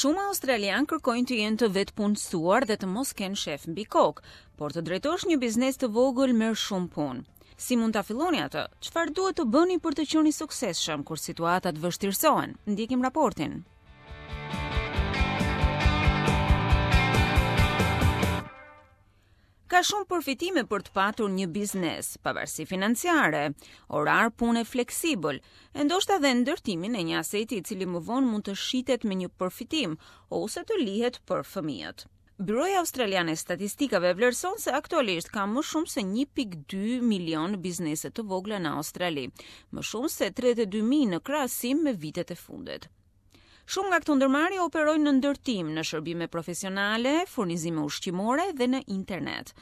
Shumë australianë kërkojnë të jenë të vetëpunësuar dhe të mos kenë shef mbi kokë, por të drejtosh një biznes të vogël merr shumë punë. Si mund ta filloni atë? Çfarë duhet të bëni për të qenë i suksesshëm kur situatat vështirësohen? Ndjekim raportin. Ka shumë përfitime për të patur një biznes, pavarësi financiare, orar pune fleksibël, e ndoshta dhe ndërtimin e një aseti i cili më vonë mund të shitet me një përfitim ose të lihet për fëmijët. Byroja Australiane e Statistikave vlerëson se aktualisht ka më shumë se 1.2 milion biznese të vogla në Australi, më shumë se 32.000 në krahasim me vitet e fundit. Shumë nga këto ndërmarrje operojnë në ndërtim, në shërbime profesionale, furnizime ushqimore dhe në internet.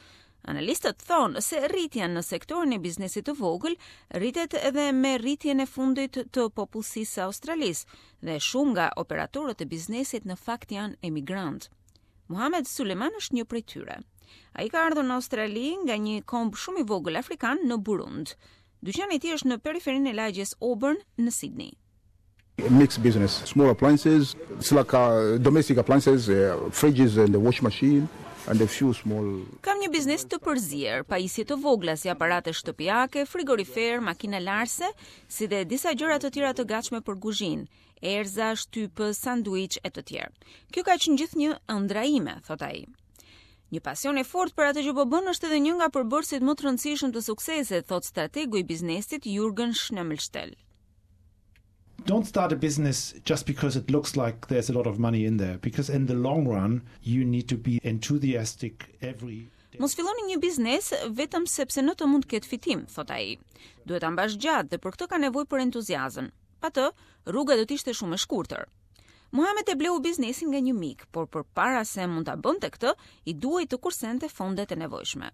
Analistët thonë se rritja në sektorin e biznesit të vogël rritet edhe me rritjen e fundit të popullsisë së Australisë dhe shumë nga operatorët e biznesit në fakt janë emigrantë. Muhamed Suleman është një prej tyre. Ai ka ardhur në Australi nga një komb shumë i vogël afrikan në Burund. Dyqani i tij është në periferinë e lagjes Auburn në Sydney. Mixed business, small appliances, it's like uh, domestic appliances, uh, fridges and the wash machine and a few small Kam një biznes të përzier, pajisje të vogla si aparate shtëpiake, frigorifer, makina larëse, si dhe disa gjëra të tjera të gatshme për kuzhinë, erëza, shtypës, sanduiç e të tjerë. Kjo ka qenë gjithnjë ëndrra ime, thotë ai. Një pasion e fortë për atë që po bën është edhe një nga përbërësit më të rëndësishëm të suksesit, thotë strategu i biznesit Jurgen Schnemelstel. Don't start a business just because it looks like there's a lot of money in there because in the long run you need to be enthusiastic every Mos filloni një biznes vetëm sepse në të mund të ketë fitim, thotë ai. Duhet ta mbash gjatë dhe për këtë ka nevojë për entuziazëm. Pa të, rruga do të ishte shumë e shkurtër. Muhamet e bleu biznesin nga një mik, por përpara se mund ta bënte këtë, i duhej të kursente fondet e nevojshme.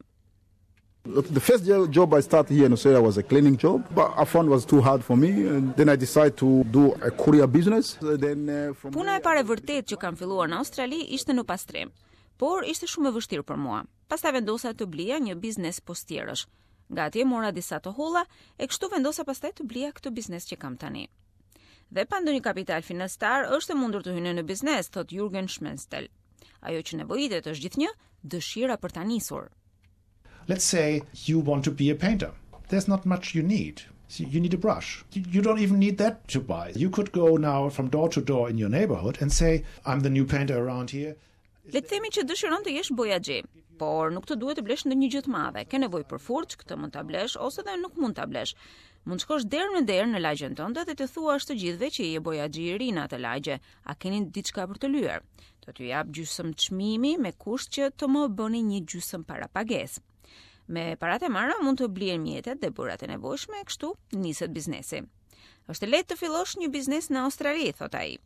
The first job I started here in Australia was a cleaning job, but I found was too hard for me and then I decided to do a courier business. Then uh, from Puna e parë e vërtetë që kam filluar në Australi ishte në pastrim, por ishte shumë e vështirë për mua. Pastaj vendosa të blija një biznes postierësh. Nga atje mora disa të holla e kështu vendosa pastaj të blija këtë biznes që kam tani. Dhe pa ndonjë kapital financiar është e mundur të hyni në biznes, thotë Jurgen Schmenstel. Ajo që nevojitet është gjithnjë dëshira për ta nisur. Let's say you want to be a painter. There's not much you need. You need a brush. You don't even need that to buy. You could go now from door to door in your neighborhood and say, I'm the new painter around here. Le të themi që dëshiron të jesh bojaxhi, por nuk të duhet të blesh ndonjë gjë të madhe. Ke nevojë për furçë, këtë mund ta blesh ose dhe nuk mund ta blesh. Mund të shkosh derë në derë në lagjen tënde dhe të thuash të gjithëve që je bojaxhi i ri në atë lagje. A keni diçka për të lyer? Do t'ju jap gjysmë çmimi me kusht që të më bëni një gjysmë parapagesë. Me paratë e marra mund të blihen mjetet dhe bojërat e nevojshme, kështu niset biznesi. Është e lehtë të fillosh një biznes në Australi, thotë ai.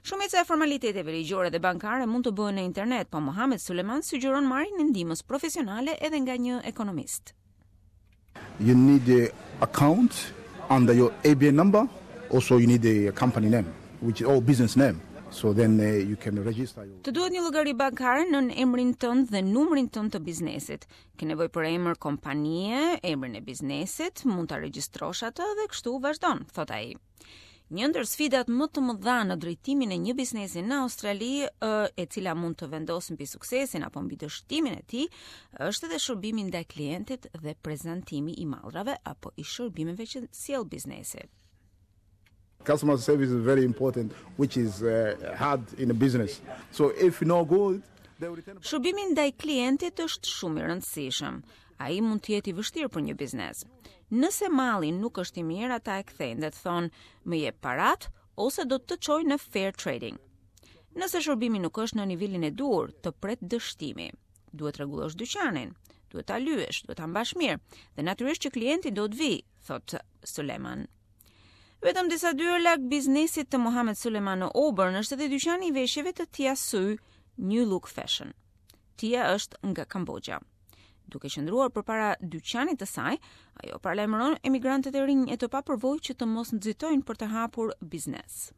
Shumica e formaliteteve ligjore dhe bankare mund të bëhen në internet, po Mohamed Suleman sugjeron marrjen e ndihmës profesionale edhe nga një ekonomist. You need the account under your ABN number, also you need the company name, which is all business name. So then uh, you can register your Të duhet një llogari bankare nën emrin tënd dhe numrin tënd të biznesit. Ke nevojë për emër kompanie, emrin e biznesit, mund ta regjistrosh atë dhe kështu vazhdon, thotë ai. Një ndër sfidat më të mëdha në drejtimin e një biznesi në Australi, e cila mund të vendosë mbi suksesin apo mbi dështimin e tij, është edhe shërbimi ndaj klientit dhe prezantimi i mallrave apo i shërbimeve që sjell biznesi. Customer service is very important, which is uh, hard in a business. So if no good, Shërbimi ndaj klientit është shumë i rëndësishëm. Ai mund të jetë i vështirë për një biznes. Nëse malli nuk është i mirë, ata e kthejnë dhe të thonë, më jep parat ose do të të çoj në fair trading. Nëse shërbimi nuk është në nivelin e duhur, të pret dështimi. Duhet rregullosh dyqanin, duhet ta lyesh, duhet ta mbash mirë dhe natyrisht që klienti do të vijë, thotë Suleman. Vetëm disa dyer larg biznesit të Mohamed Suleman në Auburn është edhe dyqani i veshjeve të Tia Su, New Look Fashion. Tia është nga Kamboxha. Duke qëndruar përpara dyqanit të saj, ajo paralajmëron emigrantët e rinj e të papërvojë që të mos nxitojnë për të hapur biznes.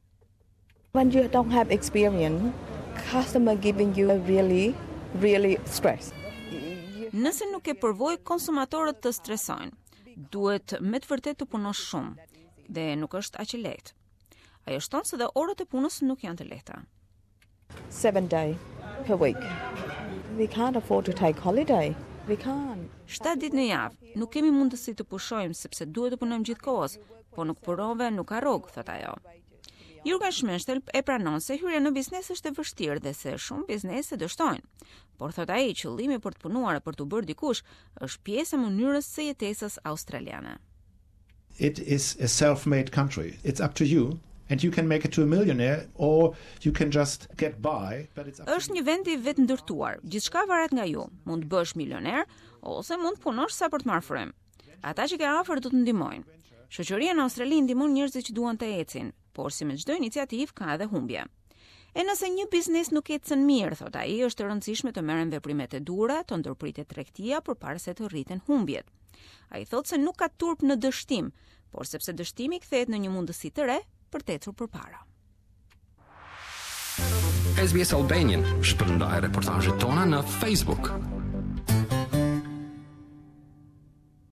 When you don't have experience, customer giving you a really really stress. Nëse nuk ke përvojë, konsumatorët të stresojnë. Duhet me të vërtetë të punosh shumë dhe nuk është aq e lehtë. Ajo shton se dhe orët e punës nuk janë të lehta. 7 day per week. We can't afford to take holiday. We can't. 7 ditë në javë, nuk kemi mundësi të pushojmë sepse duhet të punojmë gjithë kohës, po nuk punove, nuk ka rrogë, thotë ajo. Jurgen Schmenstel e pranon se hyrja në biznes është e vështirë dhe se shumë biznese dështojnë. Por thotë ai, qëllimi për të punuar e për t'u bërë dikush është pjesë e mënyrës së jetesës australiane. It is a self-made country. It's up to you and you can make it to a millionaire or you can just get by, but it's up Është një vend i vetëndërtuar. Gjithçka varet nga ju. Mund të bëhesh milioner ose mund të punosh sa për të marrë frymë. Ata që ke afër do të ndihmojnë. Shoqëria në Australi ndihmon njerëzit që duan të ecin, por si me çdo iniciativë ka edhe humbje. E nëse një biznes nuk ecën mirë, thot ai, është e rëndësishme të merren veprimet e duhura, të ndërpritet tregtia përpara se të rriten humbjet. Ai thotë se nuk ka turp në dështim, por sepse dështimi kthehet në një mundësi të re për të ecur përpara. SBS Albanian shpërndaj reportazhet tona në Facebook.